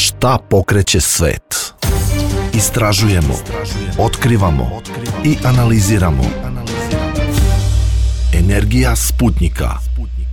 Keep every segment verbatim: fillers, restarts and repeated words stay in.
Šta pokreće svet? Istražujemo, otkrivamo i analiziramo. Energija Sputnjika.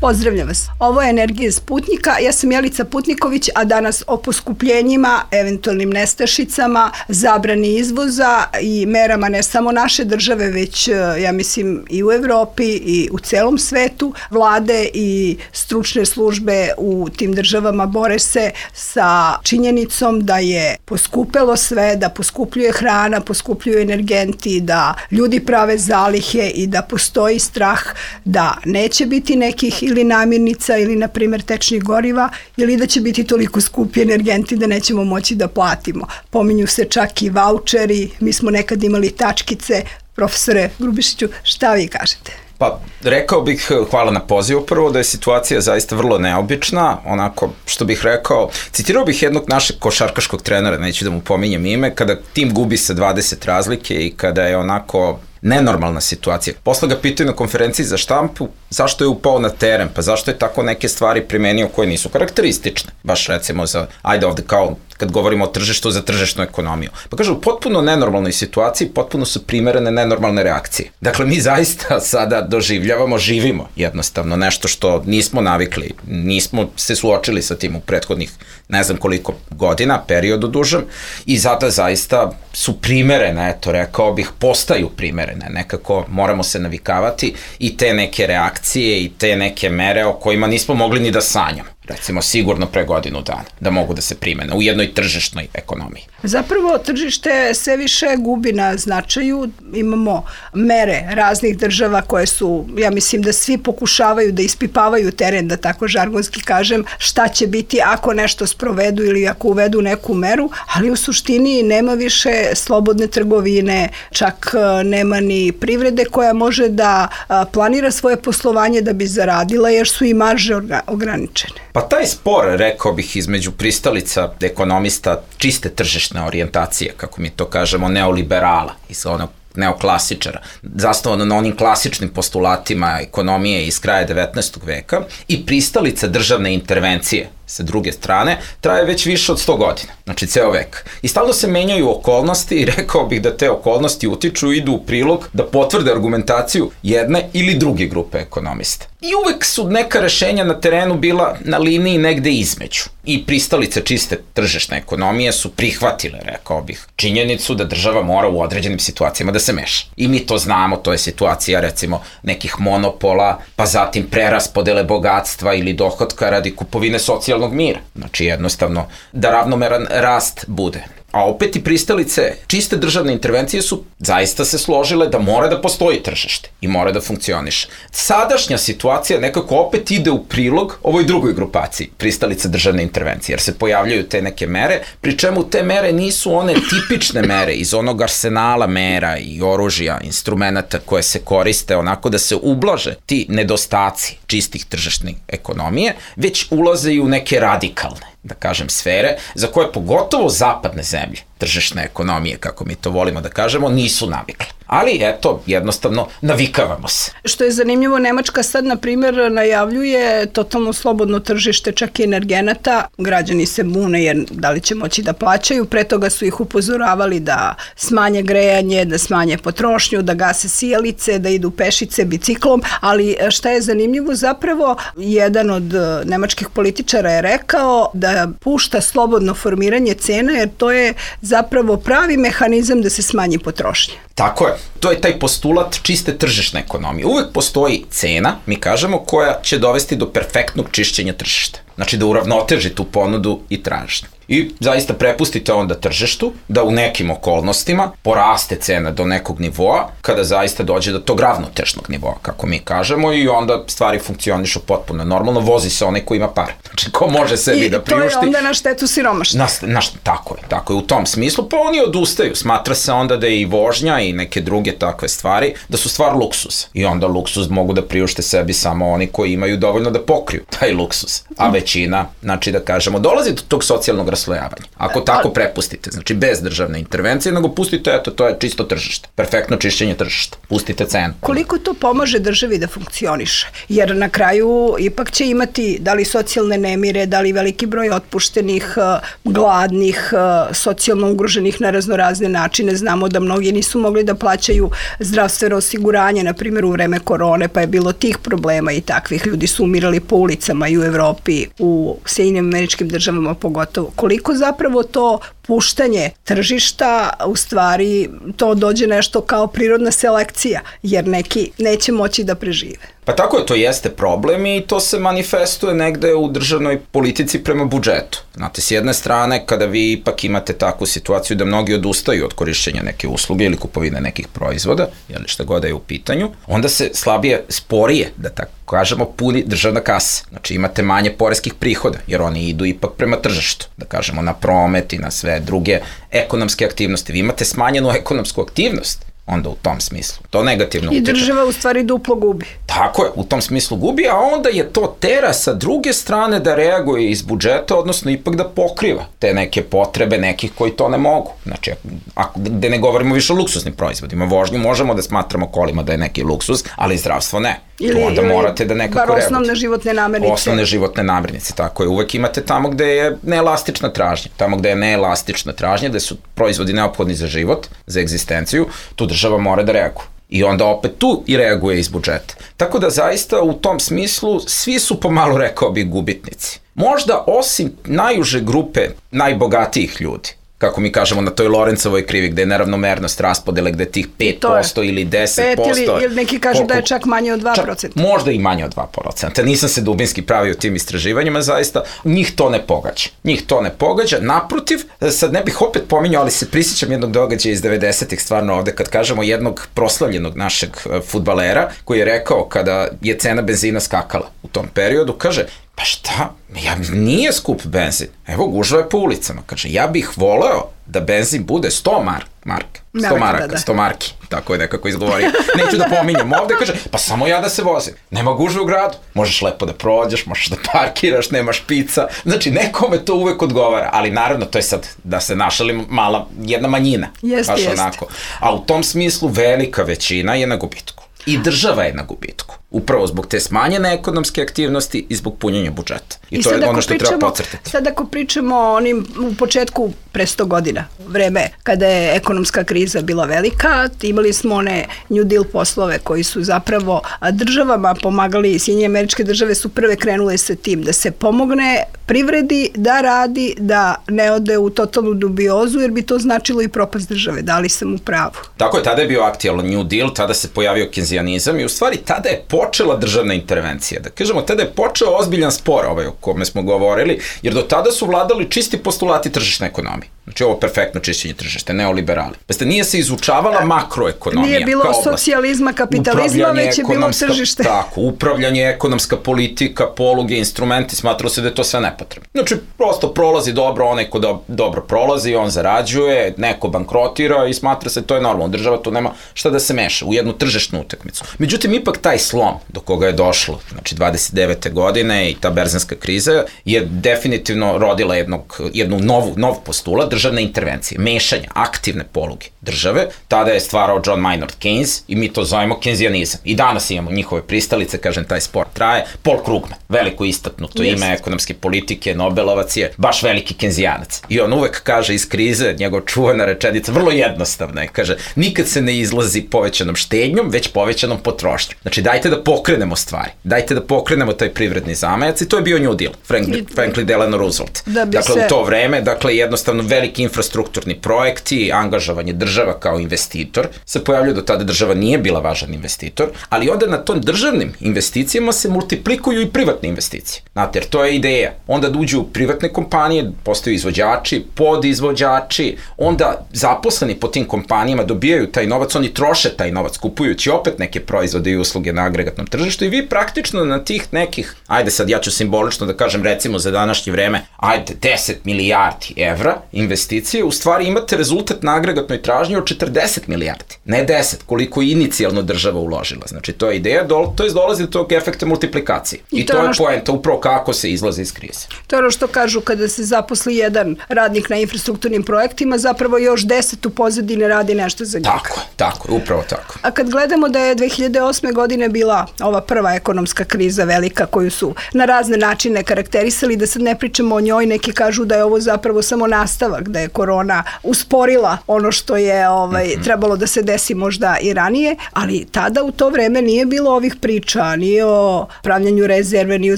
Pozdravljam vas. Ovo je Energija Sputnjika. Ja sam Jelica Putniković, a danas o poskupljenjima, eventualnim nestašicama, zabrani izvoza i merama ne samo naše države, već ja mislim i u Evropi i u celom svetu. Vlade i stručne službe u tim državama bore se sa činjenicom da je poskupelo sve, da poskupljuje hrana, poskupljuju energenti, da ljudi prave zalihe i da postoji strah da neće biti nekih ili namirnica ili, na primjer, tečnih goriva, ili da će biti toliko skupi energenti da nećemo moći da platimo. Pominju se čak i vaučeri, mi smo nekad imali tačkice. Profesore Grubišiću, šta vi kažete? Pa, rekao bih, hvala na pozivu prvo, da je situacija zaista vrlo neobična, onako, što bih rekao, citirao bih jednog našeg košarkaškog trenera, neću da mu pominjem ime, kada tim gubi sa dvadeset razlike i kada je onako nenormalna situacija. Posle ga pitaju na konferenciji za štampu zašto je upao na teren, pa zašto je tako neke stvari primenio koje nisu karakteristične. Baš recimo za, ajde ovde kao kad govorimo o tržištu, za tržišnu ekonomiju. Pa kaže, u potpuno nenormalnoj situaciji potpuno su primerene nenormalne reakcije. Dakle, mi zaista sada doživljavamo, živimo jednostavno nešto što nismo navikli, nismo se suočili sa tim u prethodnih ne znam koliko godina, periodu dužem, i zato zaista su primerene, eto, rekao bih, postaju primerene, nekako moramo se navikavati i te neke reakcije i te neke mere o kojima nismo mogli ni da sanjamo. Recimo sigurno pre godinu dana, da mogu da se primene u jednoj tržišnoj ekonomiji. Zapravo tržište sve više gubi na značaju, imamo mere raznih država koje su, ja mislim da svi pokušavaju da ispipavaju teren, da tako žargonski kažem, šta će biti ako nešto sprovedu ili ako uvedu neku meru, ali u suštini nema više slobodne trgovine, čak nema ni privrede koja može da planira svoje poslovanje da bi zaradila, jer su i marže ograničene. Pa taj spor, rekao bih, između pristalica ekonomista čiste tržišne orijentacije, kako mi to kažemo, neoliberala, iz onog neoklasičara, zasnovano na onim klasičnim postulatima ekonomije iz kraja devetnaestog veka, i pristalica državne intervencije sa druge strane, traje već više od sto godina, znači ceo vek. I stalno se menjaju okolnosti i rekao bih da te okolnosti utiču i idu u prilog da potvrde argumentaciju jedne ili druge grupe ekonomista. I uvek su neka rešenja na terenu bila na liniji negde između. I pristalice čiste tržišne ekonomije su prihvatile, rekao bih, činjenicu da država mora u određenim situacijama da se meša. I mi to znamo, to je situacija recimo nekih monopola, pa zatim preraspodele bogatstva ili dohotka radi kupovine socijalnog mira. Znači jednostavno da ravnomeran rast bude. A opet i pristalice čiste državne intervencije su zaista se složile da mora da postoji tržište i mora da funkcioniše. Sadašnja situacija nekako opet ide u prilog ovoj drugoj grupaciji pristalice državne intervencije, jer se pojavljaju te neke mere, pri čemu te mere nisu one tipične mere iz onog arsenala mera i oružja, instrumenta koje se koriste onako da se ublaže ti nedostaci čistih tržišnih ekonomije, već ulaze i u neke radikalne, da kažem, sfere, za koje pogotovo zapadne zemlje, tržišne ekonomije, kako mi to volimo da kažemo, nisu navikle. Ali, eto, jednostavno, navikavamo se. Što je zanimljivo, Nemačka sad, na primjer, najavljuje totalno slobodno tržište čak i energenata. Građani se bune jer da li će moći da plaćaju. Pre toga su ih upozoravali da smanje grejanje, da smanje potrošnju, da gase sijalice, da idu pešice biciklom. Ali šta je zanimljivo, zapravo, jedan od nemačkih političara je rekao da pušta slobodno formiranje cena, jer to je zapravo pravi mehanizam da se smanji potrošnja. Tako je. To je taj postulat čiste tržišne ekonomije. Uvek postoji cena, mi kažemo, koja će dovesti do perfektnog čišćenja tržišta. Znači da uravnoteži tu ponudu i tražnju. I zaista prepustite onda tržištu da u nekim okolnostima poraste cena do nekog nivoa, kada zaista dođe do tog ravnotežnog nivoa, kako mi kažemo, i onda stvari funkcionišu potpuno normalno, vozi se onaj ko ima pare. Znači ko može sebi I da priušti. I to je onda na štetu siromašnih. Na, na, tako je, tako je, u tom smislu, pa oni odustaju. Smatra se onda da je i vožnja i neke druge takve stvari, da su stvar luksusa. I onda luksuz mogu da priušte sebi samo oni koji imaju dovoljno da pokriju taj luksus. A većina, znači da kažemo, dolazi do tog socijalnog raslojavanja. Ako tako prepustite, znači bez državne intervencije, nego pustite, eto, to je čisto tržište. Perfektno čišćenje tržišta. Pustite cenu. Koliko to pomaže državi da funkcioniše? Jer na kraju ipak će imati da li socijalne nemire, da li veliki broj otpuštenih, gladnih, socijalno ugroženih na raznorazne načine. Znamo da mnogi nisu mogli da plaćaju zdravstveno osiguranje, na primjer u vreme korone, pa je bilo tih problema i takvih. Ljudi su umirali po ulicama i u Evropi, u Sjedinjenim Američkim Državama pogotovo. Koliko zapravo to puštanje tržišta, u stvari to dođe nešto kao prirodna selekcija, jer neki neće moći da prežive. Pa tako je, to jeste problem i to se manifestuje negde u državnoj politici prema budžetu. Znate, s jedne strane, kada vi ipak imate takvu situaciju da mnogi odustaju od korišćenja neke usluge ili kupovine nekih proizvoda, jel šta god je u pitanju, onda se slabije, sporije, da tako kažemo, puni državna kasa. Znači imate manje poreskih prihoda, jer oni idu ipak prema tržištu, da kažemo na promet i na sve druge ekonomske aktivnosti. Vi imate smanjenu ekonomsku aktivnost, onda u tom smislu. To negativno utiče. I država u stvari duplo gubi. Tako je, u tom smislu gubi, a onda je to tera sa druge strane da reaguje iz budžeta, odnosno ipak da pokriva te neke potrebe nekih koji to ne mogu. Znači, ako, gde ne govorimo više o luksuznim proizvodima, vožnju možemo da smatramo kolima da je neki luksuz, ali zdravstvo ne. Ili, onda ili morate da nekako reagujete. Bar osnovne životne namirnice. Osnovne životne namirnice, tako je. Uvek imate tamo gde je neelastična tražnja. Tamo gde je neelastična tražnja, gde su proizvodi neophodni za život, za egzistenciju, tu država mora da reaguje. I onda opet tu i reaguje iz budžeta. Tako da zaista u tom smislu svi su pomalo, rekao bi, gubitnici. Možda osim najuže grupe najbogatijih ljudi, kako mi kažemo na toj Lorencovoj krivi, gde je neravnomernost raspodele, gde tih pet posto ili deset posto. pet ili, ili neki kažu koliko, da je čak manje od dva procenta. Čak, možda i manje od dva procenta. Nisam se dubinski pravio tim istraživanjima, zaista. Njih to ne pogađa. Njih to ne pogađa. Naprotiv, sad ne bih opet pominjao, ali se prisjećam jednog događaja iz devedesetih stvarno ovde, kad kažemo jednog proslavljenog našeg fudbalera, koji je rekao kada je cena benzina skakala u tom periodu, kaže, pa šta, ja, nije skup benzin, evo gužva je po ulicama, kaže, ja bih voleo da benzin bude sto mark, marka, sto maraka, da. sto marki, tako je nekako izgovorio, neću da pominjem ovde, kaže, pa samo ja da se vozim, nema gužve u gradu, možeš lepo da prođeš, možeš da parkiraš, nemaš pica, znači nekome to uvek odgovara, ali naravno to je sad, da se našalim, mala, jedna manjina, jeste, baš jeste. onako, a u tom smislu velika većina je na gubitku. I država je na gubitku. Upravo zbog te smanjene ekonomske aktivnosti i zbog punjenja budžeta. I, I to je ono što pričamo, treba podcrtati. Sad ako pričamo o onim u početku pre sto godina, vreme kada je ekonomska kriza bila velika, imali smo one New Deal poslove koji su zapravo državama pomagali, Sjedinjene Američke Države su prve krenule sa tim da se pomogne privredi da radi, da ne ode u totalnu dubiozu, jer bi to značilo i propast države. Da li sam u pravu? Tako je, tada je bio aktualan New Deal, tada se pojavio kenzijanizam i u stvari tada je počela državna intervencija. Da kažemo, tada je počeo ozbiljan spor ovaj o kome smo govorili, jer do tada su vladali čisti postulati tržišne ekonomije. Znači ovo perfektno čišćenje tržišta, neoliberali. Peste, nije se izučavala makroekonomija. Nije bilo socijalizma, kapitalizma, već je bilo tržište. Tako, upravljanje, ekonomska politika, poluge, instrumenti, smatralo se da je to sve nepotrebno. Znači, prosto prolazi dobro, onaj ko do, dobro prolazi, on zarađuje, neko bankrotira i smatra se to je normalno. Država tu nema šta da se meša u jednu tržišnu utakmicu. Međutim, ipak taj slom do koga je došlo, znači dvadeset devete godine i ta berzanska kriza je definitivno rodila jednog, jednu novu, nov postulat, državne intervencije, mešanja, aktivne poluge države. Tada je stvarao John Maynard Keynes i mi to zovemo kenzijanizam. I danas imamo njihove pristalice, kažem, taj sport traje. Paul Krugman, veliko istaknuto yes. ime ekonomske politike, Nobelovac je baš veliki kenzijanac. I on uvek kaže iz krize, njegov čuvena rečenica, vrlo jednostavna je, kaže, nikad se ne izlazi povećanom štednjom, već povećanom potrošnjom. Znači, dajte da pokrenemo stvari, dajte da pokrenemo taj privredni zamajac i to je bio New Deal, Franklin, Franklin Delano Roosevelt. Da dakle, se... u to vreme, dakle, jednostavno veliki infrastrukturni projekti, angažovanje država kao investitor, se pojavljaju, do tada država nije bila važan investitor, ali onda na tom državnim investicijama se multiplikuju i privatne investicije. Znate, jer to je ideja. Onda da uđu privatne kompanije, postaju izvođači, podizvođači, onda zaposleni po tim kompanijama dobijaju taj novac, oni troše taj novac, kupujući opet neke proizvode i usluge na agregatnom tržištu i vi praktično na tih nekih, ajde sad ja ću simbolično da kažem recimo za današnje vreme, ajde deset milijardi evra investicija investicije, u stvari imate rezultat na agregatnoj tražnji od četrdeset milijardi, ne deset, koliko je inicijalno država uložila. Znači, to je ideja, to je dolazi do tog efekta multiplikacije. I, I to, to je poenta upravo kako se izlaze iz krize. To je ono što kažu kada se zaposli jedan radnik na infrastrukturnim projektima, zapravo još deset u pozadine radi nešto za njega. Tako, tako, upravo tako. A kad gledamo da je dve hiljade osme godine bila ova prva ekonomska kriza velika koju su na razne načine karakterisali, da sad ne pričamo o njoj, neki kažu da je ovo zapravo samo nastavak, da je korona usporila ono što je ovaj, mm-hmm. trebalo da se desi možda i ranije, ali tada u to vreme nije bilo ovih priča, ni o pravljanju rezerve, ni o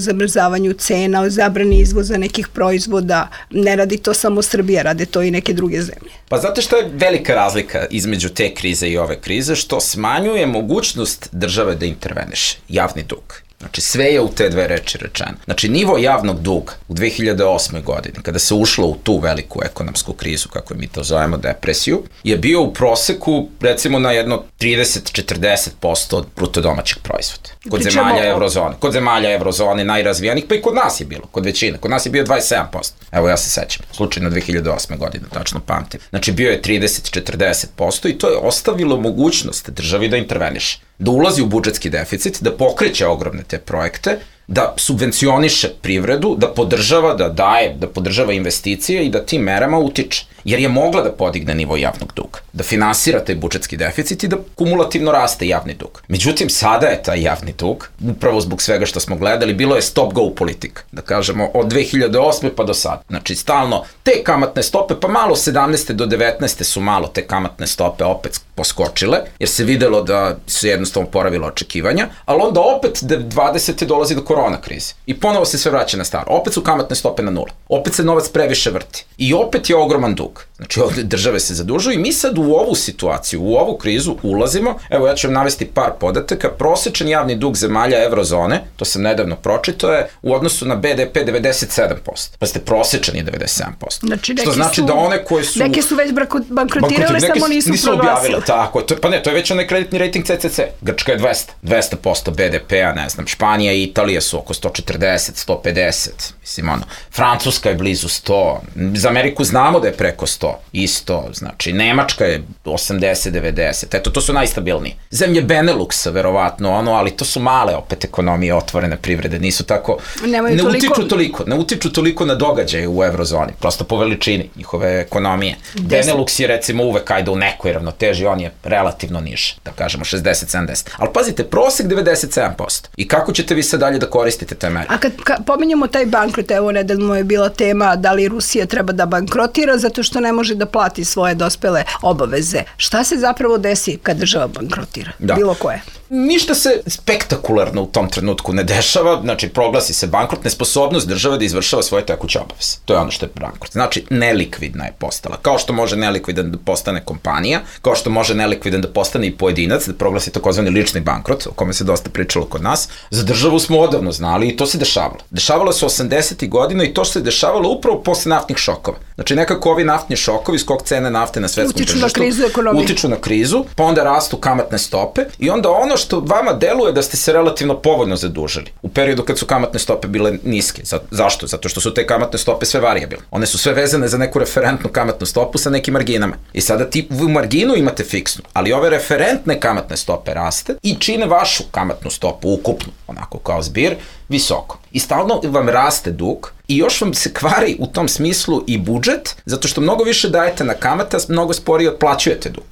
zamrzavanju cena, o zabrani izvoza nekih proizvoda. Ne radi to samo Srbija, rade to i neke druge zemlje. Pa znate što je velika razlika između te krize i ove krize, što smanjuje mogućnost države da interveniše, javni dug. Znači, sve je u te dve reči rečeno. Znači, nivo javnog duga u dve hiljade osme godini, kada se ušlo u tu veliku ekonomsku krizu, kako mi to zovemo, depresiju, je bio u proseku, recimo, na jedno trideset do četrdeset posto od bruto domaćeg proizvoda. Kod Pričamo zemalja evrozone. Kod zemalja evrozone najrazvijenih, pa i kod nas je bilo, kod većine. Kod nas je bio dvadeset sedam posto. Evo, ja se sećam. Slučajno dve hiljade osme godine, tačno pamtim. Znači, bio je trideset do četrdeset posto i to je ostavilo mogućnost državi da interveniše, da ulazi u budžetski deficit, da pokreće ogromne te projekte, da subvencioniše privredu, da podržava, da daje, da podržava investicije i da tim merama utiče. Jer je mogla da podigne nivo javnog duga, da finansira taj budžetski deficit i da kumulativno raste javni dug. Međutim, sada je taj javni dug, upravo zbog svega što smo gledali, bilo je stop-go politika, da kažemo, od dve hiljade osme pa do sada. Znači, stalno te kamatne stope, pa malo sedamnaeste do devetnaeste su malo te kamatne stope opet poskočile, jer se videlo da su jednostavno poravila očekivanja, ali onda opet dvadesete dolazi do korona krize. I ponovo se sve vraća na staro. Opet su kamatne stope na nula. Opet se novac previše vrti. I opet je ogroman dug. Znači, ovde države se zadužuju i mi sad u ovu situaciju, u ovu krizu ulazimo. Evo, ja ću vam navesti par podataka. Prosečan javni dug zemalja evrozone, to sam nedavno pročitao, je u odnosu na be de pe devedeset sedam posto. Pa ste prosečan je devedeset sedam posto. Znači, što znači su, da one koje su... Neke su već bankrotirale, samo nisu, nisu proglasile. Tako, to, pa ne, to je već onaj kreditni rating ce ce ce. Grčka je dvesta, dvesta posto be de pe-a, ne znam, Španija i Italija su oko sto četrdeset, sto pedeset, mislim, ono, Francuska je blizu sto, za Ameriku znamo da je preko sto, isto, znači, Nemačka je osamdeset devedeset, eto, to su najstabilniji. Zemlje Beneluxa, verovatno, ono, ali to su male opet ekonomije, otvorene privrede, nisu tako, Nemaju ne toliko... utiču toliko, ne utiču toliko na događaje u evrozoni, prosto po veličini njihove ekonomije. Deset. Benelux je, recimo, uvek ajde u nekoj ravnoteži, on je relativno niže, da kažemo, šezdeset sedamdeset. Ali pazite, prosek devedeset sedam posto. I kako ćete vi sad dalje da koristite te mere? A kad ka, pominjamo taj bankrot, evo nedeljno je bila tema da li Rusija treba da bankrotira zato što ne može da plati svoje dospele obaveze. Šta se zapravo desi kad država bankrotira? Da. Bilo koje? Ništa se spektakularno u tom trenutku ne dešava, znači proglasi se bankrot, nesposobnost države da izvršava svoje tekuće obaveze. To je ono što je bankrot. Znači, nelikvidna je postala. Kao što može nelikvidan da postane kompanija, kao što može nelikvidan da postane i pojedinac, da proglasi takozvani lični bankrot, o kome se dosta pričalo kod nas. Za državu smo odavno znali i to se dešavalo. Dešavalo se osamdesetih godina i to se dešavalo upravo posle naftnih šokova. Znači, nekako ovi naftni šokovi, skok cene nafte na svetskom utiču tržištu, na krizu ekonomije. Utiču na krizu, pa onda rastu kamatne stope i onda ono što vama deluje da ste se relativno povoljno zadužili u periodu kad su kamatne stope bile niske. Zašto? Zato što su te kamatne stope sve varijabilne. One su sve vezane za neku referentnu kamatnu stopu sa nekim marginama. I sada ti u marginu imate fiksnu, ali ove referentne kamatne stope raste i čine vašu kamatnu stopu ukupnu, onako kao zbir, visoko. I stalno vam raste dug i još vam se kvari u tom smislu i budžet, zato što mnogo više dajete na kamate, a mnogo sporije otplaćujete dug.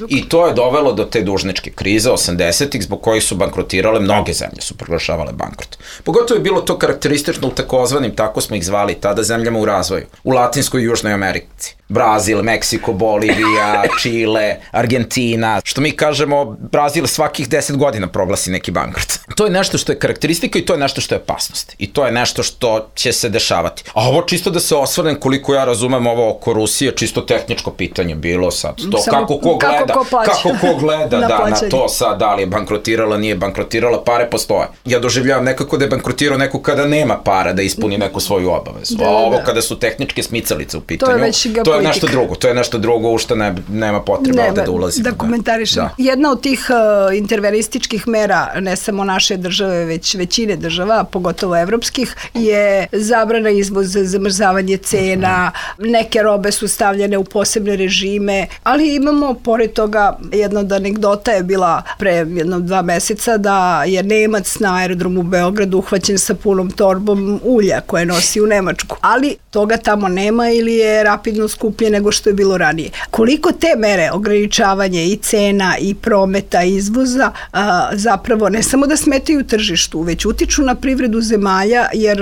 I to je dovelo do te dužničke krize osamdesetih zbog kojih su bankrotirale, mnoge zemlje su proglašavale bankrot. Pogotovo je bilo to karakteristično u takozvanim, tako smo ih zvali tada, zemljama u razvoju, u Latinskoj i Južnoj Americi. Brazil, Meksiko, Bolivija, Čile, Argentina, što mi kažemo, Brazil svakih deset godina proglasi neki bankrot. To je nešto što je karakteristika i to je nešto što je opasnost. I to je nešto što će se dešavati. A ovo čisto da se osvrnem, koliko ja razumem ovo oko Rusije, čisto tehničko pitanje bilo sad. To Samo, kako ko gleda, kako ko, kako ko gleda na, da, na to sad, da li je bankrotirala, nije bankrotirala, pare postoje. Ja doživljavam nekako da je bankrotirao neko kada nema para da ispuni neku svoju obavezu. Da, a ovo da. Kada su tehničke smicalice u pitanju, to je, već to je nešto drugo. To je nešto drugo u što ne, nema potreba ne, ovde da ulazimo. Da komentarišem. Da. Jedna od tih uh, intervenističkih mera, ne samo naše države, već većine država, pogotovo zapadnoevropskih je zabrana izvoza, zamrzavanje cena, neke robe su stavljene u posebne režime, ali imamo pored toga jedna od anegdota je bila pre jedno dva meseca da je Nemac na aerodromu u Beogradu uhvaćen sa punom torbom ulja koje nosi u Nemačku, ali toga tamo nema ili je rapidno skuplje nego što je bilo ranije. Koliko te mere ograničavanje i cena i prometa i izvoza a, zapravo ne samo da smetaju tržištu, već utiču na privredu zemalja, jer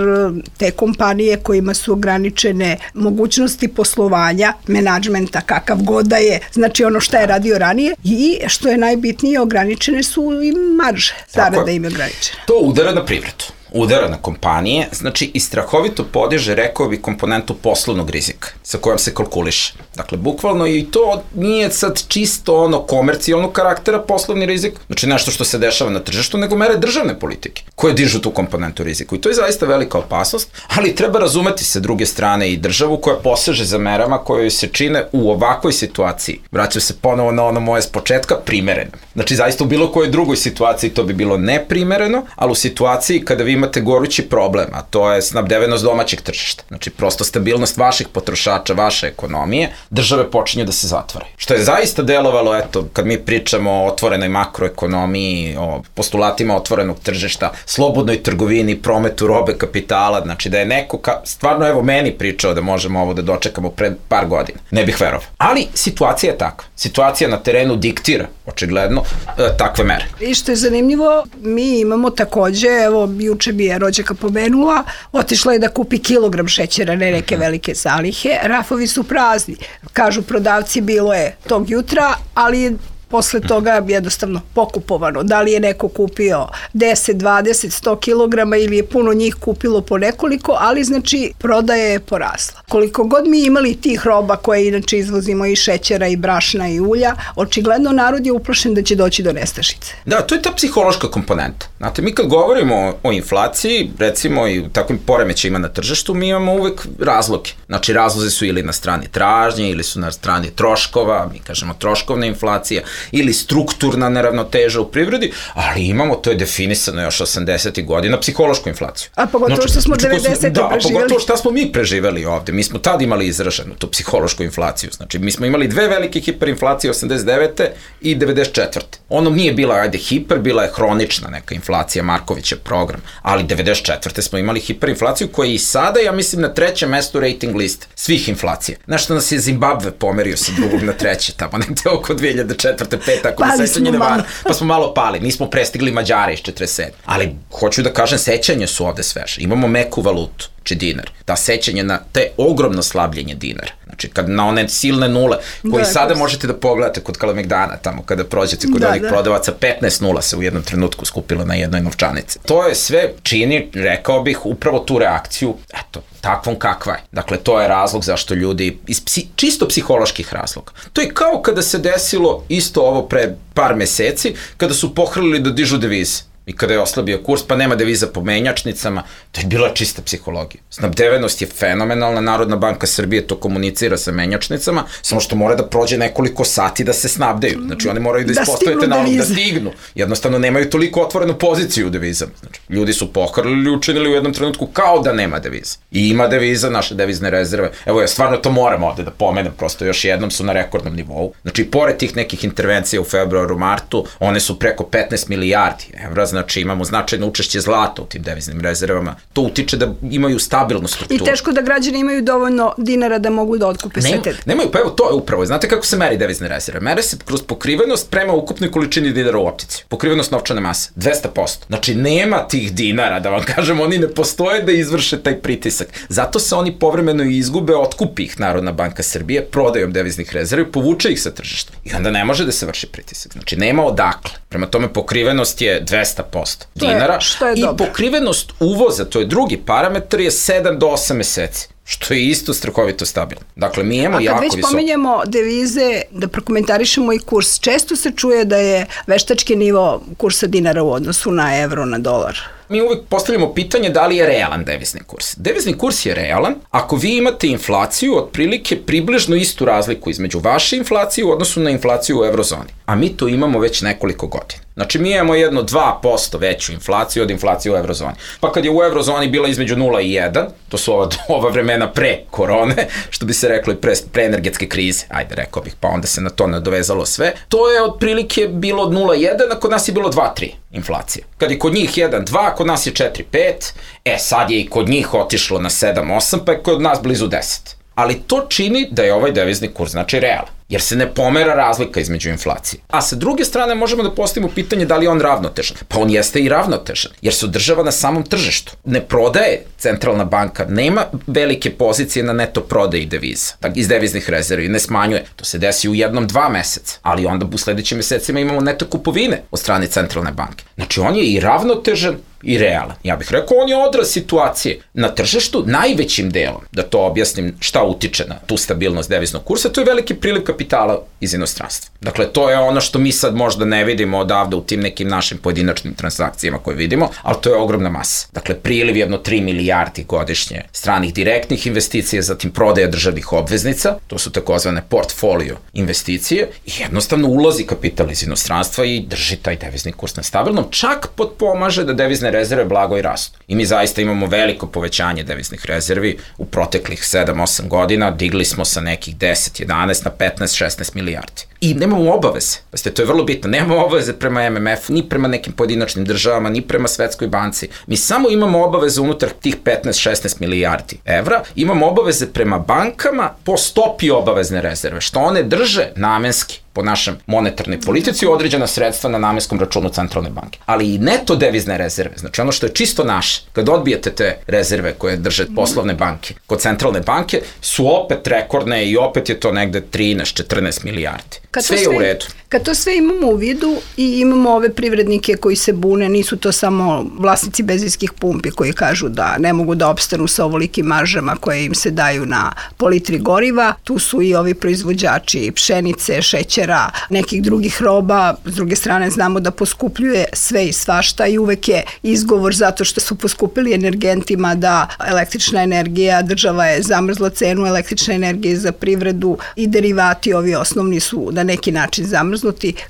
te kompanije kojima su ograničene mogućnosti poslovanja, menadžmenta kakav god da je, znači ono što je radio ranije i što je najbitnije, ograničene su i marže, zarada im je ograničena. To udara na privredu, udara na kompanije, znači i strahovito podiže, rekao bi, komponentu poslovnog rizika sa kojom se kalkuliše. Dakle, bukvalno i to nije sad čisto ono komercijalnog karaktera poslovni rizik, znači nešto što se dešava na tržištu, nego mere državne politike koje dižu tu komponentu riziku. I to je zaista velika opasnost, ali treba razumeti sa druge strane i državu koja poseže za merama koje se čine u ovakvoj situaciji. Vraćam se ponovo na ono moje s početka, primereno. Znači, zaista u bilo kojoj drugoj situaciji to bi bilo neprimereno, ali u situaciji kada vi imate gorući problem, a to je snabdevenost domaćeg tržišta. Znači, prosto stabilnost vaših potrošača, vaše ekonomije, države počinju da se zatvaraju. Što je zaista delovalo, eto, kad mi pričamo o otvorenoj makroekonomiji, o postulatima otvorenog tržišta, slobodnoj trgovini, prometu robe, kapitala, znači da je neko, ka, stvarno evo meni pričao da možemo ovo da dočekamo pred par godina. Ne bih verovao. Ali situacija je takva. Situacija na terenu diktira, očigledno, e, takve mere. I što je zanimljivo, mi imamo takođe, evo, juče bi je rođaka pomenula, otišla je da kupi kilogram šećera, ne neke velike zalihe, rafovi su prazni. Kažu prodavci, bilo je tog jutra, ali posle toga jednostavno pokupovano. Da li je neko kupio deset, dvadeset, sto kilograma ili je puno njih kupilo po nekoliko, ali znači prodaja je porasla. Koliko god mi imali tih roba koje inače izvozimo i šećera i brašna i ulja, očigledno narod je uplašen da će doći do nestašice. Da, to je ta psihološka komponenta. Znate, mi kad govorimo o inflaciji, recimo i u takvim poremećajima na tržištu, mi imamo uvek razloge. Znači, razlozi su ili na strani tražnje, ili su na strani troškova, mi kažemo troškovna inflacija, ili strukturna neravnoteža u privredi, ali imamo, to je definisano još osamdesetih godina, psihološku inflaciju. A pogotovo znači, što smo devedesete da, preživjeli. Da, pogotovo što smo mi preživeli ovde. Mi smo tad imali izraženu tu psihološku inflaciju. Znači, mi smo imali dve velike hiperinflacije osamdeset devete i devedeset četvrte Ono nije bila, ajde, hiper, bila je hronična neka inflacija, Markovićev program, ali devedeset četvrte smo imali hiperinflaciju koja je i sada, ja mislim, na trećem mestu rating liste svih inflacija. Znaš što nas je Zimbabve pomerio sa drugog na treće, tamo negde oko dve hiljade četvrte pete ako me sećanje ne vara, pa smo malo pali, nismo prestigli Mađare iz četrdeset sedme Ali hoću da kažem, sećanje su ovde sveže. Imamo meku valutu, znači dinar. Ta sećanje na te ogromno slabljenje dinara. Znači, kad na one silne nule, koji da, sada možete da pogledate kod Kalemegdana, tamo kada prođete kod da, onih da. prodavaca, petnaest nula se u jednom trenutku skupilo na jednoj novčanici. To je sve čini, rekao bih, upravo tu reakciju, eto, takvom kakva je. Dakle, to je razlog zašto ljudi, iz psi, čisto psiholoških razloga. To je kao kada se desilo isto ovo pre par meseci, kada su pohrlili da dižu devize. I kada je oslabio kurs, pa nema deviza po menjačnicama, to je bila čista psihologija. Snabdevenost je fenomenalna, Narodna banka Srbije to komunicira sa menjačnicama, samo što mora da prođe nekoliko sati da se snabdeju. Znači, oni moraju da, da ispostavite nalog da stignu. Jednostavno, nemaju toliko otvorenu poziciju u devizama. Znači, ljudi su pohrlili i učinili u jednom trenutku kao da nema deviza. I ima deviza, naše devizne rezerve. Evo, ja stvarno to moram ovde da pomenem, prosto još jednom su na rekordnom nivou. Znači, pored tih nekih intervencija u februaru, martu, one su preko petnaest milijardi evra. Znači imamo značajno učešće zlata u tim deviznim rezervama. To utiče da imaju stabilnu strukturu. I teško da građani imaju dovoljno dinara da mogu da otkupe sve te. Nemaju, pa evo to je upravo. Znate kako se meri devizne rezerve? Mere se kroz pokrivenost prema ukupnoj količini dinara u optici. Pokrivenost novčane mase, dvesta posto Znači nema tih dinara, da vam kažem, oni ne postoje da izvrše taj pritisak. Zato se oni povremeno izgube, otkupi ih Narodna banka Srbije prodajom deviznih rezervi, povuče ih sa tržišta. I onda ne može da se vrši pritisak. Znači nema odakle. Prema tome pokrivenost je dvesta posto dinara je, je i dobro. Pokrivenost uvoza, to je drugi parametar, je sedam do osam meseci. Što je isto strahovito stabilno. Dakle, mi imamo jako visoko. A kad već pominjemo devize, da prokomentarišemo i kurs, često se čuje da je veštački nivo kursa dinara u odnosu na evro, na dolar. Mi uvek postavljamo pitanje da li je realan devizni kurs. Devizni kurs je realan ako vi imate inflaciju otprilike približno istu razliku između vaše inflacije u odnosu na inflaciju u eurozoni. A mi to imamo već nekoliko godina. Znači mi imamo jedno dva posto veću inflaciju od inflacije u eurozoni. Pa kad je u eurozoni bila između nula i jedan, to su ova, ova vremena pre korone, što bi se reklo i pre, pre energetske krize, ajde rekao bih, pa onda se na to nadovezalo sve, to je otprilike bilo od nula i jedan, a kod nas je bilo dva tri inflacija. Kad je kod njih jedan dva, kod nas je četiri pet, e sad je i kod njih otišlo na sedam osam, pa je kod nas blizu deset. Ali to čini da je ovaj devizni kurs, znači realan, jer se ne pomera razlika između inflacije. A sa druge strane možemo da postavimo pitanje da li je on ravnotežan. Pa on jeste i ravnotežan, jer se održava na samom tržištu. Ne prodaje centralna banka, nema velike pozicije na neto prodaji deviza, iz deviznih rezervi, ne smanjuje. To se desi u jednom, dva meseca, ali onda u sledećim mesecima imamo neto kupovine od strane centralne banke. Znači on je i ravnotežan i realan. Ja bih rekao, on je odraz situacije na tržištu najvećim delom, da to objasnim šta utiče na tu stabilnost deviznog kursa, to je veliki priliv kapitala iz inostranstva. Dakle, to je ono što mi sad možda ne vidimo odavde u tim nekim našim pojedinačnim transakcijama koje vidimo, ali to je ogromna masa. Dakle, priliv jedno tri milijardi godišnje stranih direktnih investicija, zatim prodaja državnih obveznica, to su takozvane portfolio investicije, i jednostavno ulazi kapital iz inostranstva i drži taj devizni kurs na stabilnom, čak potpomaže da devizne rezerve blago i rastu. I mi zaista imamo veliko povećanje deviznih rezervi u proteklih sedam osam godina, digli smo sa nekih deset jedanaest na petnaest šesnaest milijardi. I nemamo obaveze, pazite, to je vrlo bitno, nemamo obaveze prema M M F-u, ni prema nekim pojedinačnim državama, ni prema Svetskoj banci. Mi samo imamo obaveze unutar tih petnaest šesnaest milijardi evra, imamo obaveze prema bankama po stopi obavezne rezerve, što one drže namenski po našem monetarnoj politici određena sredstva na namenskom računu centralne banke. Ali i neto devizne rezerve, znači ono što je čisto naše, kad odbijete te rezerve koje drže poslovne banke kod centralne banke, su opet rekordne i opet je to negde trinaest četrnaest milijardi. Kad sve je u redu. Kad to sve imamo u vidu i imamo ove privrednike koji se bune, nisu to samo vlasnici benzinskih pumpi koji kažu da ne mogu da opstanu sa ovolikim maržama koje im se daju na po litri goriva, tu su i ovi proizvođači pšenice, šećera, nekih drugih roba. S druge strane znamo da poskupljuje sve i svašta i uvek je izgovor zato što su poskupili energentima da električna energija, država je zamrzla cenu električne energije za privredu i derivati ovi osnovni su na neki način zamrznuti.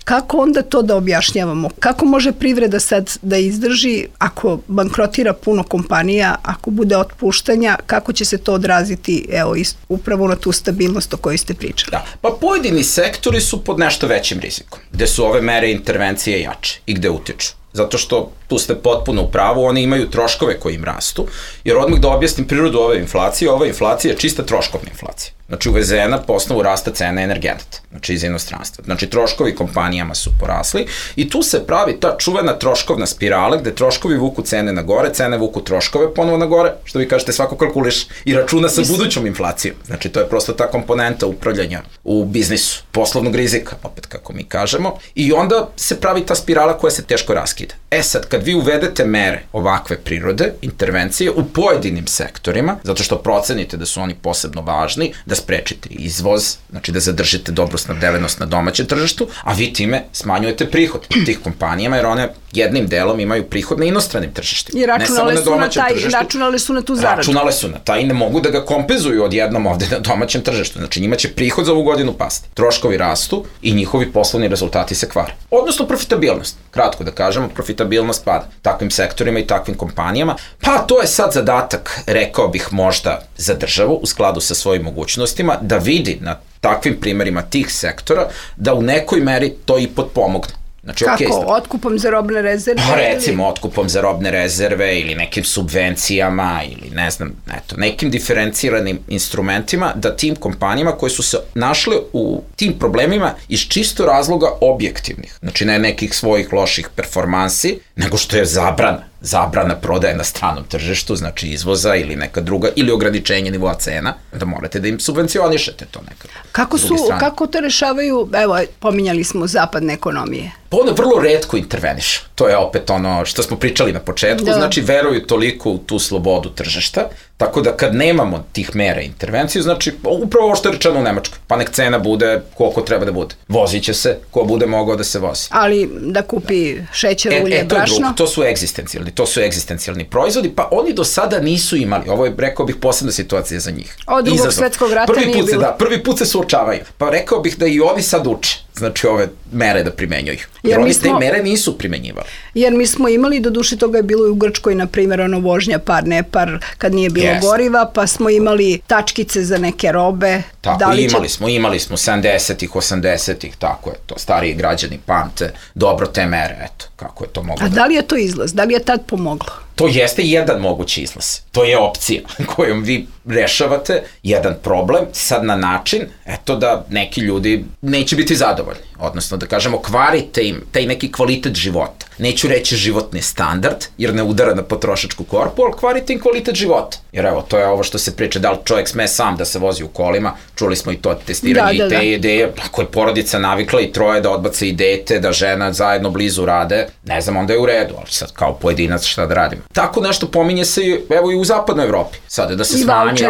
Kako onda to da objašnjavamo? Kako može privreda sad da izdrži ako bankrotira puno kompanija, ako bude otpuštanja, kako će se to odraziti evo, upravo na tu stabilnost o kojoj ste pričali? Da, pa pojedini sektori su pod nešto većim rizikom, gde su ove mere intervencije jače i gde utiču. Zato što tu ste potpuno u pravu, oni imaju troškove koji im rastu, jer odmah da objasnim prirodu ove inflacije, ova inflacija je čista troškovna inflacija. Znači uvezena po osnovu rasta cene energenata, znači iz inostranstva. Znači troškovi kompanijama su porasli i tu se pravi ta čuvena troškovna spirala gde troškovi vuku cene na gore, cene vuku troškove ponovo na gore, što vi kažete svako kalkuliš i računa sa budućom inflacijom. Znači to je prosto ta komponenta upravljanja u biznisu, poslovnog rizika, opet kako mi kažemo, i onda se pravi ta spirala koja se teško raskida. E sad, kad vi uvedete mere ovakve prirode, intervencije u pojedinim sektorima, zato što procenite da su oni posebno važni, da sprečite izvoz, znači da zadržite dobru snabdevenost na domaćem tržištu, a vi time smanjujete prihod tih kompanijama, jer one jednim delom imaju prihod na inostranim tržištima. I računale, su na, taj, računale su na tu zaradu. Računale su na taj i ne mogu da ga kompenzuju odjednom ovde na domaćem tržištu. Znači njima će prihod za ovu godinu pasti. Troškovi rastu i njihovi poslovni rezultati se kvare. Odnosno profitabilnost. Kratko da kažemo, profitabilnost pada takvim sektorima i takvim kompanijama. Pa to je sad zadatak, rekao bih možda za državu u skladu sa svojim mogućnostima, da vidi na takvim primerima tih sektora da u nekoj meri to i potpomogne. Znači, kako? Okay, otkupom za robne rezerve? Pa recimo, otkupom za robne rezerve ili nekim subvencijama ili ne znam, eto, nekim diferenciranim instrumentima da tim kompanijama koje su se našle u tim problemima iz čisto razloga objektivnih, znači ne nekih svojih loših performansi, nego što je zabrana. Zabrana prodaje na stranom tržištu, znači izvoza ili neka druga, ili ograničenje nivoa cena, da morate da im subvencionišete to nekako. Kako su, kako to rešavaju, evo, pominjali smo zapadne ekonomije? Pa one vrlo retko intervenišu. To je opet ono što smo pričali na početku, da. Znači veruju toliko u tu slobodu tržišta, tako da kad nemamo tih mera intervencije, znači upravo ovo što je rečeno u Nemačkoj, pa nek cena bude koliko treba da bude. Vozit će se ko bude mogao da se vozi. Ali da kupi šećer, ulje, e, e, to brašno? Je drugo, to su egzistencijalni, to su egzistencijalni proizvodi, pa oni do sada nisu imali, ovo je, rekao bih, posebna situacija za njih. Od drugog svetskog rata prvi nije put se, bilo. Da, prvi put se suočavaju, pa rekao bih da i ovi sad uče. znači ove mere da primenjuju. Jer, Jer oni smo, te mere nisu primenjivali. Jer mi smo imali, do duše toga je bilo i u Grčkoj, na primjer, ono vožnja par, ne par, kad nije bilo yes. goriva, pa smo imali tačkice za neke robe. Tako, da li imali će... smo, imali smo sedamdesetih, osamdesetih, tako je to, stariji građani pamte dobro te mere, eto, kako je to moglo. A da... da li je to izlaz? Da li je tad pomoglo? To jeste jedan mogući izlaz. To je opcija kojom vi rešavate jedan problem sad na način, eto da neki ljudi neće biti zadovoljni. Odnosno da kažemo, kvarite im taj neki kvalitet života. Neću reći životni standard, jer ne udara na potrošačku korpu, ali kvarite im kvalitet života. Jer evo, to je ovo što se priča, da li čovjek sme sam da se vozi u kolima, čuli smo i to testiranje da, da, i te da. ideje, ako je porodica navikla i troje da odbace i dete, da žena zajedno blizu rade, ne znam, onda je u redu, ali sad kao pojedinac šta da radimo. Tako nešto pominje se i, evo i u zapadnoj Evropi, sada da se I smanji,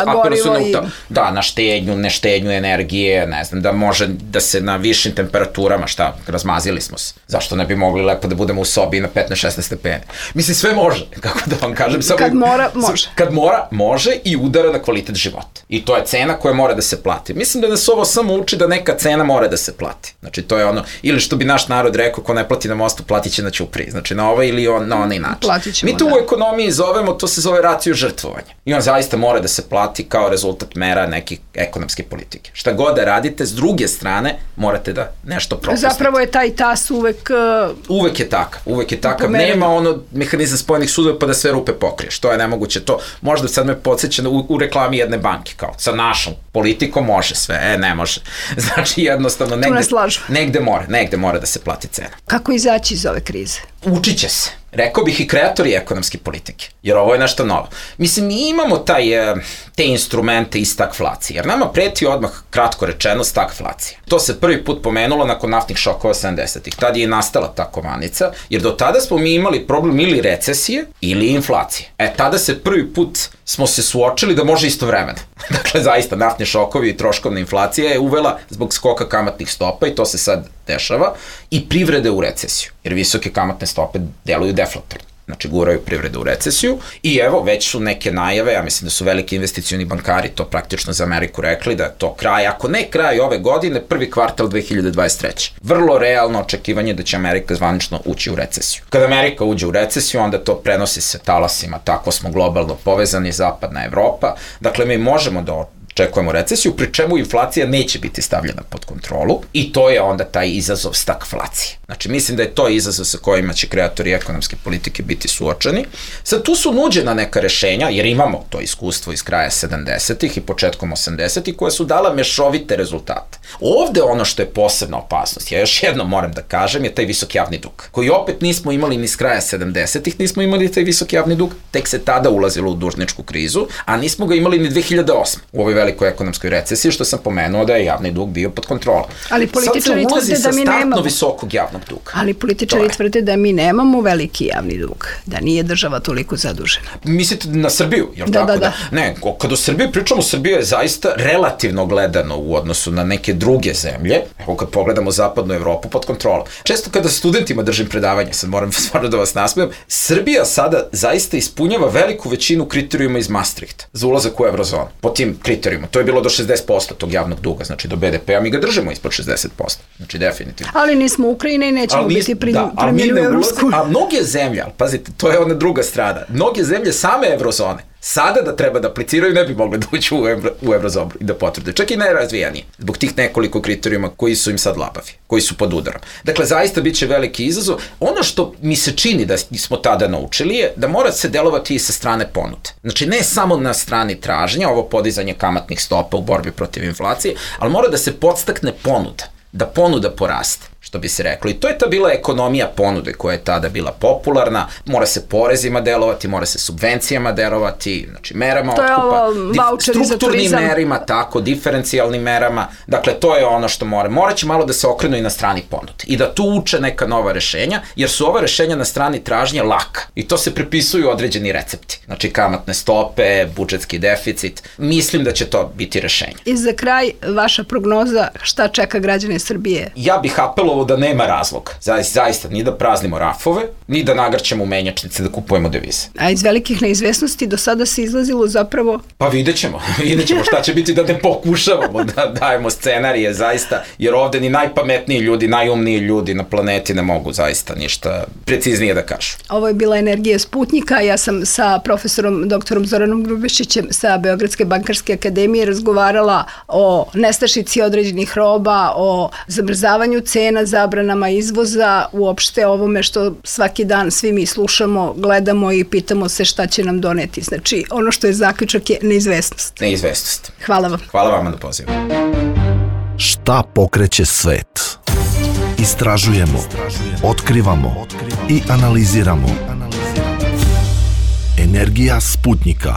apeluje se na, i... da, na štednju, ne štednju energije, ne znam, da može da se na višim temperaturama, šta, razmazili smo se. Zašto ne bi mogli lepo da budemo u sobi na petnaest šesnaest stepeni? Mislim, sve može, kako da vam kažem. Samo, kad mora, može. Kad mora, može i udara na kvalitet života. I to je cena koja mora da se plati. Mislim da nas ovo samo uči da neka cena mora da se plati. Znači, to je ono, ili što bi naš narod rekao, ko ne plati na mostu, platit će na ćupriji. Znači, na ovaj ili on, na onaj način. Ćemo, Mi to da. u ekonomiji zovemo, to se zove racio žrtvovanja. I on zaista mora da se plati kao rezultat mera nekih ekonomske politike. Šta god da radite, s druge strane, morate da nešto propustite. Zapravo je taj tas uvek... Uh, uvek je takav, uvek je takav. Nema ono mehanizam spojenih sudova pa da sve rupe pokriješ. To je nemoguće. To možda sad me podsjeća u, u reklami jedne banke, kao sa našom politikom može sve, e, ne može. Znači jednostavno negde, negde mora, negde mora da se plati cena. Kako izaći iz ove krize? Učit će se. Rekao bih i kreatori ekonomske politike, jer ovo je nešto novo. Mislim, mi imamo taj, te instrumente iz stagflacije, jer nama preti odmah, kratko rečeno, stagflacija. To se prvi put pomenulo nakon naftnih šokova sedamdesetih. Tad je i nastala ta kovanica, jer do tada smo mi imali problem ili recesije ili inflacije. E, tada se prvi put smo se suočili da može istovremeno. Dakle, zaista, naftni šokovi i troškovna inflacija je uvela zbog skoka kamatnih stopa i to se sad dešava, i privrede u recesiju, jer visoke kamatne stope deluju deflatorno. Znači, guraju privredu u recesiju i evo, već su neke najave, ja mislim da su veliki investicioni bankari to praktično za Ameriku rekli, da je to kraj, ako ne kraj ove godine, prvi kvartal dve hiljade dvadeset treće. Vrlo realno očekivanje da će Amerika zvanično ući u recesiju. Kada Amerika uđe u recesiju, onda to prenosi se talasima, tako smo globalno povezani, zapadna Evropa, dakle, mi možemo da očekujemo recesiju, pri čemu inflacija neće biti stavljena pod kontrolu i to je onda taj izazov stagflacije. Znači, mislim da je to izazov sa kojima će kreatori ekonomske politike biti suočeni. Sad, tu su nuđena neka rešenja, jer imamo to iskustvo iz kraja sedamdesetih i početkom osamdesetih, koje su dala mešovite rezultate. Ovde ono što je posebna opasnost, ja još jednom moram da kažem, je taj visok javni dug, koji opet nismo imali ni iz kraja sedamdesetih, nismo imali taj visok javni dug, tek se tada ulazilo u dužničku krizu, a nismo ga imali ni dve hiljade osme. U ovoj velikoj ekonomskoj recesiji, što sam pomenuo da je javni dug bio pod kontrolom. Ali političari tvrde da mi nemamo visokog javnog duga. Ali političari tvrde da mi nemamo veliki javni dug, da nije država toliko zadužena. Mislite na Srbiju, jel da, tako? Da, da. Ne, kada o Srbiji pričamo, Srbija je zaista relativno gledano u odnosu na neke druge zemlje, evo kad pogledamo zapadnu Evropu, pod kontrolom. Često kada studentima držim predavanje, sad moram stvarno da vas nasmijem, Srbija sada zaista ispunjava veliku većinu kriterijuma iz Maastrichta za ulazak u eurozonu. Po tim kriterijuma. To je bilo do šezdeset posto tog javnog duga, znači do be de pe a, mi ga držimo ispod šezdeset posto. Znači definitivno. Ali nismo Ukrajina i nećemo ali biti primjeni da, u Evropsku. A mnoge zemlje, ali pazite, to je ona druga strana, mnoge zemlje same eurozone, sada da treba da apliciraju, ne bi mogli da uđu u, evro, u eurozonu i da potvrde. Čak i najrazvijeniji, zbog tih nekoliko kriterijuma koji su im sad labavi, koji su pod udarom. Dakle, zaista bit će veliki izazov. Ono što mi se čini da smo tada naučili je da mora se delovati i sa strane ponude. Znači, ne samo na strani tražnja, ovo podizanje kamatnih stopa u borbi protiv inflacije, ali mora da se podstakne ponuda, da ponuda poraste, što bi se reklo. I to je ta bila ekonomija ponude koja je tada bila popularna, mora se porezima delovati, mora se subvencijama delovati, znači merama to otkupa, dif, strukturnim merima, tako, diferencijalnim merama, dakle to je ono što mora. Mora će malo da se okrenu i na strani ponude i da tu uče neka nova rešenja, jer su ova rešenja na strani tražnje laka i to se prepisuju određeni recepti, znači kamatne stope, budžetski deficit, mislim da će to biti rešenje. I za kraj, vaša prognoza, šta čeka građane Srbije? Ja bih apelovao ispostavilo da nema razloga. Zaista, zaista, ni da praznimo rafove, ni da nagrćemo menjačnice da kupujemo devize. A iz velikih neizvesnosti do sada se izlazilo zapravo... Pa vidjet ćemo, vidjet ćemo šta će biti da ne pokušavamo da dajemo scenarije zaista, jer ovde ni najpametniji ljudi, najumniji ljudi na planeti ne mogu zaista ništa preciznije da kažu. Ovo je bila Energija Sputnika, ja sam sa profesorom doktorom Zoranom Grubešićem sa Beogradske bankarske akademije razgovarala o nestašici određenih roba, o zamrzavanju cena, zabranama izvoza, uopšte ovome što svaki dan svi mi slušamo, gledamo i pitamo se šta će nam doneti. Znači, ono što je zaključak je neizvesnost. Neizvesnost. Hvala vam. Hvala vama na pozivu. Šta pokreće svet? Istražujemo, otkrivamo i analiziramo. Energija Sputnika.